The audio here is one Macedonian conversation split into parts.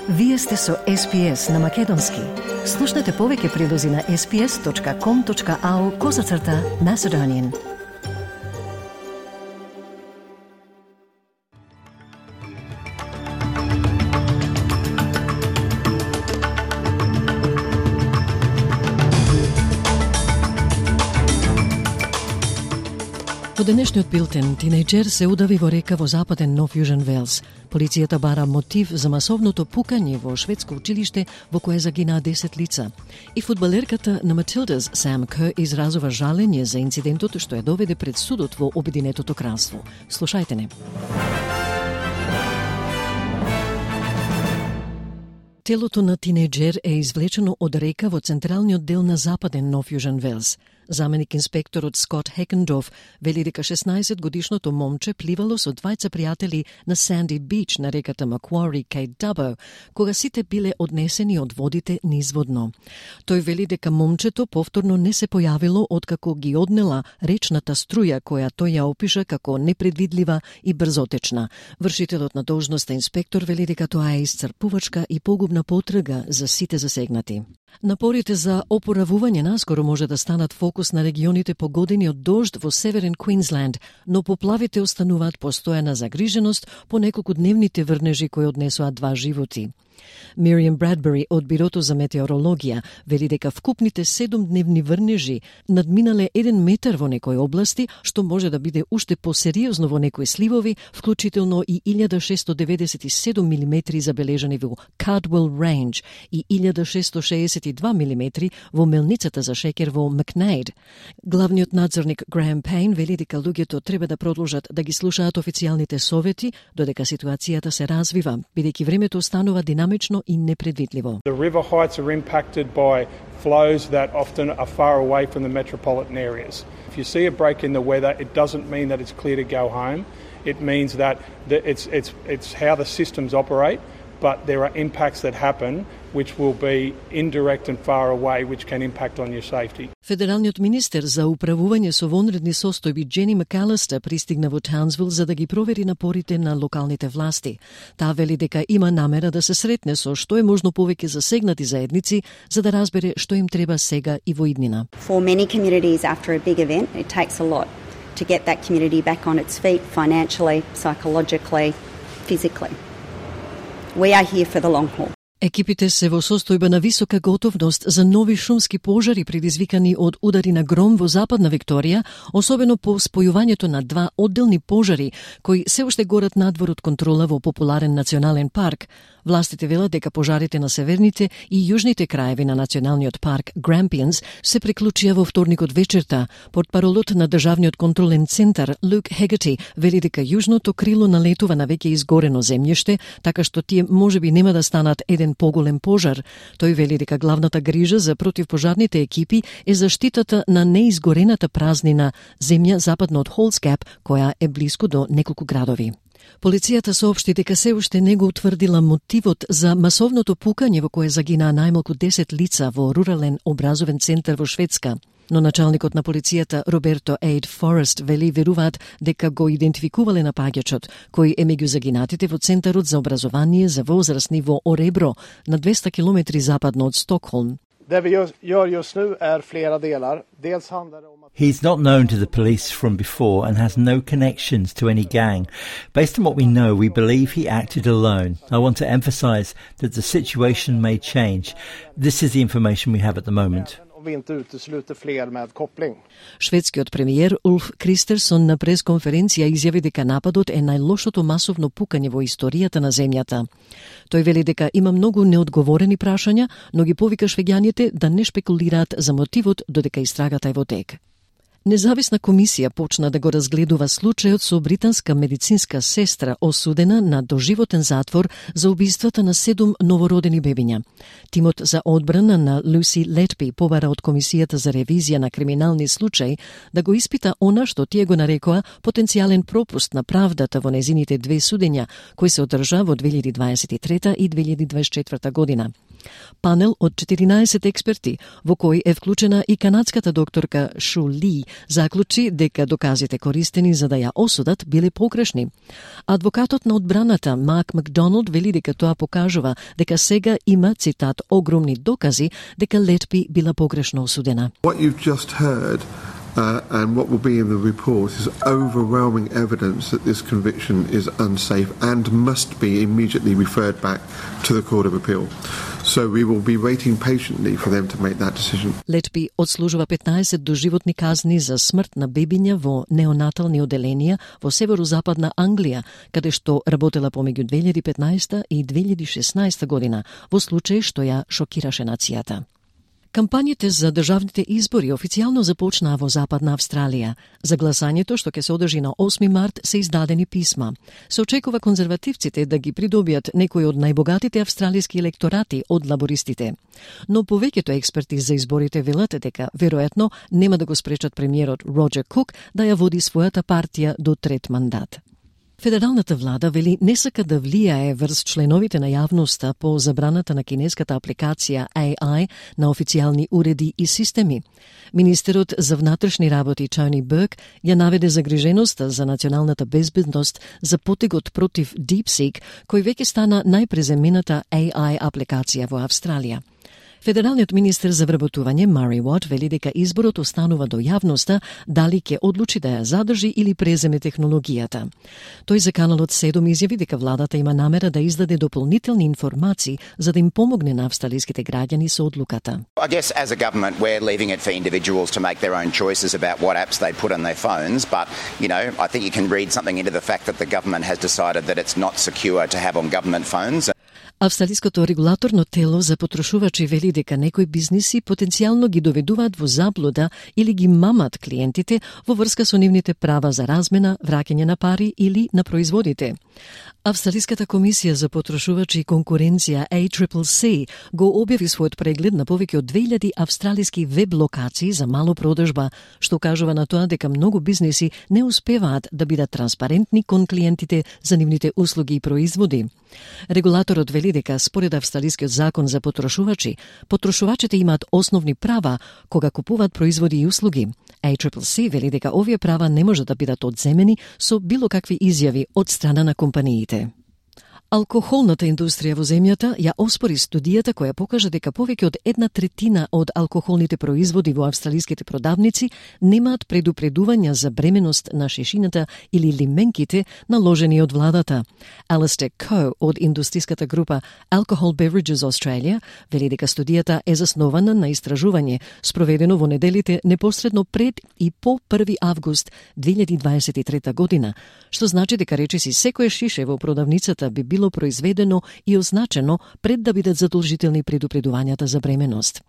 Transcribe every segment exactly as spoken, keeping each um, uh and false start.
Вие сте со Ес Пи Ес на Македонски. Слушнете повеќе прилози на ес пи ес точка ком точка ау козацрта Macedonian. Во денешниот билтен, тинејџер се удави во река во западен Нов Јужен Велс. Полицијата бара мотив за масовното пукање во шведско училиште во кое загинаа десет лица. И фудбалерката на Матилдас, Сам Кер, изразува жалење за инцидентот што ја доведе пред судот во Обединетото кралство. Слушајте не. Телото на тинејџер е извлечено од река во централниот дел на западен Нов Јужен Велс. Заменик инспекторот Скот Хекендорф вели дека шеснаесет годишното момче пливало со двајца пријатели на Санди Бич на реката Маквари кај Дабо, кога сите биле однесени од водите низводно. Тој вели дека момчето повторно не се појавило откако ги однела речната струја која тој ја опиша како непредвидлива и брзотечна. Вршителот на должноста инспектор вели дека тоа е исцрпувачка и погубна потрага за сите засегнати. Напорите за опоравување наскоро може да станат фокус на регионите погодени од дожд во северен Квинсленд, но поплавите остануваат постојана загриженост по неколкудневните врнежи кои однесоа два животи. Мириам Брадбери од Бирото за метеорологија вели дека вкупните седумдневни врнежи надминале еден метар во некои области, што може да биде уште посериозно во некои сливови, вклучително и илјада шесто деведесет и седум милиметри забележани во Cardwell Range и илјада шесто шеесет и два милиметри во мелницата за шеќер во Макнейд. Главниот надзорник Граем Пейн вели дека луѓето треба да продолжат да ги слушаат официјалните совети додека ситуацијата се развива, бидејќи времето останува динамично и непредвидливо. The river heights are impacted by flows that often are far away from the metropolitan areas. If you see a break in the weather, it doesn't mean that it's clear to go home. It means that it's it's it's how the systems operate, but there are impacts that happen which will be indirect and far away, which can impact on your safety. Федералниот министер за управување со вонредни состојби Джени Макалистер пристигна во Таунсвил за да ги провери напорите на локалните власти. Таа вели дека има намера да се сретне со што е можно повеќе засегнати заедници за да разбере што им треба сега и во иднина. For many communities after a big event, it takes a lot to get that community back on its feet financially, psychologically, physically. We are here for the long haul. Екипите се во состојба на висока готовност за нови шумски пожари предизвикани од удари на гром во западна Викторија, особено по спојувањето на два одделни пожари кои се уште горат надвор од контрола во популарен национален парк. Властите велат дека пожарите на северните и јужните краеви на националниот парк Grampians се приклучија во вторникот вечерта. Портпаролот на државниот контролен центар Лук Хегати вели дека јужното крило налетува на веќе изгорено земјиште, така што тие можеби нема да станат еден поголем пожар. Тој вели дека главната грижа за противпожарните екипи е заштитата на неизгорената празнина земја западно од Холсгап, која е блиску до неколку градови. Полицијата соопшти дека се уште не го утврдила мотивот за масовното пукање во кое загинаа најмалку десет лица во рурален образовен центар во Шведска. Но началникот на полицијата Роберто Ейд Форест вели веруваат дека го идентификувале напаѓачот, кој е меѓу загинатите во Центарот за образование за возрастни во Оребро, на двеста километри западно од Стокхолм. He's not known to the police from before and has no connections to any gang. Based on what we know, we believe he acted alone. I want to emphasize that the situation may change. This is the information we have at the moment. Шведскиот премиер Улф Кристерсон на пресконференција изјави дека нападот е најлошото масовно пукање во историјата на земјата. Тој вели дека има многу неодговорени прашања, но ги повика швеѓаните да не шпекулираат за мотивот додека истрагата е во тек. Независна комисија почна да го разгледува случајот со британска медицинска сестра осудена на доживотен затвор за убиствата на седум новородени бебиња. Тимот за одбрана на Луси Летби побара од Комисијата за ревизија на криминални случаи да го испита она што тие го нарекоа потенцијален пропуст на правдата во незините две судења, кои се одржа во две илјади дваесет и трета и две илјади дваесет и четврта година. Панел од четиринаесет експерти, во кој е вклучена и канадската докторка Шу Ли, заклучи дека доказите користени за да ја осудат биле погрешни. Адвокатот на одбраната Марк Макдоналд вели дека тоа покажува дека сега има, цитат, огромни докази дека Летби била погрешно осудена. What you've just heard Uh, and what will be in the report is overwhelming evidence that this conviction is unsafe and must be immediately referred back to the Court of Appeal. So we will be waiting patiently for them to make that decision. Летби одслужува петнаесет доживотни казни за смрт на бебиња во неонатални оделенија во северозападна Англија, каде што работела помеѓу две илјади и петнаесета и две илјади и шеснаесета година, во случај што ја шокираше нацијата. Кампањите за државните избори официјално започнаа во Западна Австралија. За гласањето, што ќе се одржи на осми март, се издадени писма. Се очекува конзервативците да ги придобијат некои од најбогатите австралиски електорати од лабористите. Но повеќето експерти за изборите велат дека веројатно нема да го спречат премиерот Роџер Кук да ја води својата партија до трет мандат. Федералната влада вели не сака да влијае врз членовите на јавноста по забраната на кинеската апликација A I на официјални уреди и системи. Министерот за внатрешни работи Тони Берк ја наведе загриженоста за националната безбедност за потегот против DeepSeek, кој веќе стана најпреземената A I апликација во Австралија. Федералниот министер за вработување Мари Уот вели дека изборот останува до јавноста дали ќе одлучи да ја задржи или преземе технологијата. Тој за каналот седум изјави дека владата има намера да издаде дополнителни информации за да им помогне на австралиските граѓани со одлуката. I guess as a government we're leaving it for individuals to make their own choices about what apps they put on their phones, but you know, I think you can read something into the fact that the government has decided that it's not secure to have on government phones. Австралиското регулаторно тело за потрошувачи вели дека некои бизниси потенцијално ги доведуваат во заблуда или ги мамат клиентите во врска со нивните права за размена, враќање на пари или на производите. Австралиската комисија за потрошувачи и конкуренција A C C C го објави својот преглед на повеќе од две илјади австралиски веб локации за мало продажба, што кажува на тоа дека многу бизниси не успеваат да бидат транспарентни кон клиентите за нивните услуги и производи. Регулаторот вели дека според австралискиот закон за потрошувачи, потрошувачите имаат основни права кога купуваат производи и услуги. A C C C вели дека овие права не можат да бидат одземени со било какви изјави од страна на компаниите. Алкохолната индустрија во земјата ја оспори студијата која покажа дека повеќе од една третина од алкохолните производи во австралиските продавници немаат предупредувања за бременост на шешината или лименките наложени од владата. Алистер Ко од индустријската група Alcohol Beverages Australia вели дека студијата е заснована на истражување спроведено во неделите непосредно пред и по први август две илјади дваесет и трета година, што значи дека речиси секое шише во продавницата би било произведено и означено пред да бидат задолжителни предупредувањата за бременост.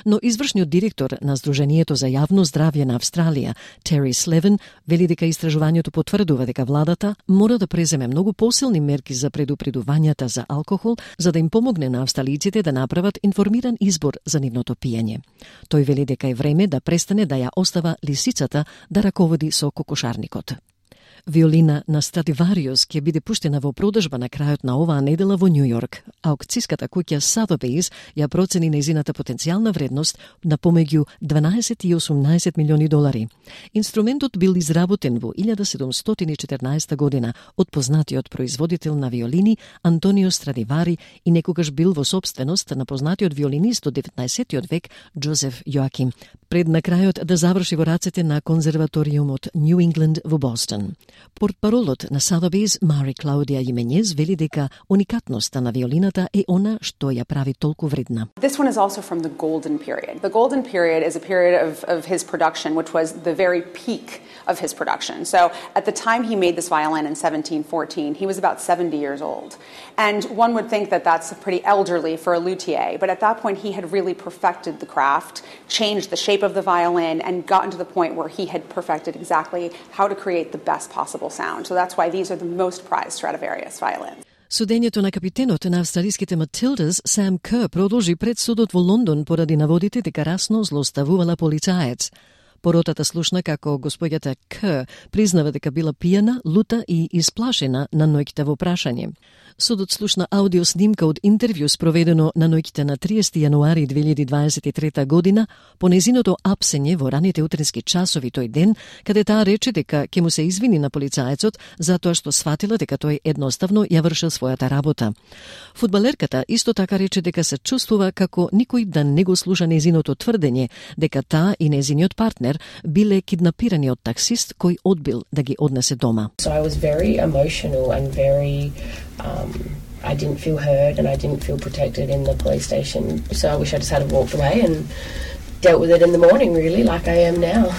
Но извршниот директор на Сдруженијето за јавно здравје на Австралија, Тери Слевен, вели дека истражувањето потврдува дека владата мора да преземе многу посилни мерки за предупредувањата за алкохол, за да им помогне на австралиците да направат информиран избор за нивното пиење. Тој вели дека е време да престане да ја остава лисицата да раководи со кокошарникот. Виолина на Страдивариус ќе биде пуштена во продажба на крајот на оваа недела во Њу Јорк. Аукцијската куќа Sotheby's ја процени нејзината потенцијална вредност на помеѓу дванаесет и осумнаесет милиони долари. Инструментот бил изработен во илјада седумстотини и четрнаесета година од познатиот производител на виолини Антонио Страдивари и некогаш бил во собственост на познатиот виолинист од деветнаесеттиот век Джозеф Јоаким, пред на крајот да заврши во рацете на конзерваториумот Нью Ингланд во Бостон. Портпаролот на Sotheby's, Мари Клаудија Именез, вели дека уникатноста на виолината е она што ја прави толку вредна. This one is also from the golden period. The golden period is a period of, of his production, which was the very peak of his production. So at the time he made this violin in seventeen fourteen, he was about seventy years old. And one would think that that's pretty elderly for a luthier, but at that point he had really perfected the craft, changed the shape of the violin, and gotten to the point where he had perfected exactly how to create the best possible sound. So that's why these are the most prized Stradivarius violins. Судењето на капитенот на австралиските Матилдас, Сам Кер, продолжи пред судот во Лондон поради наводите дека расно злоставувала полицаец. Поротата слушна како господјата К признава дека била пијана, лута и исплашена на ноќта во прашање. Судот слушна аудио снимка од интервју спроведено на ноќта на триесети јануари две илјади дваесет и трета година по незиното апсење во раните утрински часови тој ден, каде таа рече дека ќе му се извини на полицаецот затоа што сфатила дека тој едноставно ја вршил својата работа. Фудбалерката исто така рече дека се чувствува како никој да не го слуша незиното тврдење дека таа и незиниот партнер биле киднапирани од таксист кој одбил да ги однесе дома. So I was very emotional and very um, I didn't feel heard and I didn't feel protected in the police station. So I wish I just had walked away and dealt with it in the morning, really, like I am now.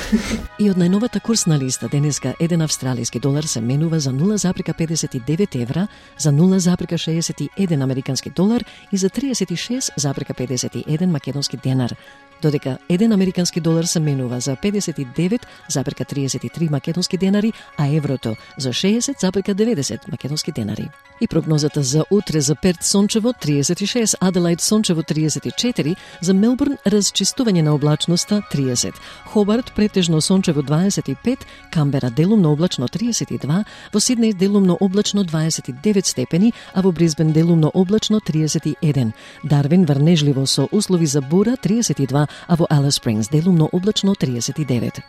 И од најновата курсна листа денеска еден австралиски долар се менува за нула запирка педесет и девет евра, за нула запирка шеесет и еден американски долар и за триесет и шест запирка педесет и еден македонски денар. Додека еден американски долар се менува за педесет и девет запирка триесет и три македонски денари, а еврото за шеесет запирка деветдесет македонски денари. И прогнозата за утре за Перт сончево триесет и шест, Аделаид сончево триесет и четири, за Мелбурн расчистување на облачноста триесет, Хобарт претежно сончево дваесет и пет, Камбера делумно облачно триесет и два, во Сиднеј делумно облачно дваесет и девет степени, а во Брисбен делумно облачно триесет и еден, Дарвин врнежливо со услови за бура триесет и два, а во Алис Спрингс делумно облачно триесет и девет.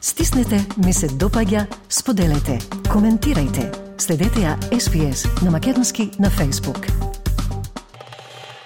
Стиснете, ми се допаѓа, споделете, коментирајте. Следете ја Ес Би Ес на македонски на Facebook.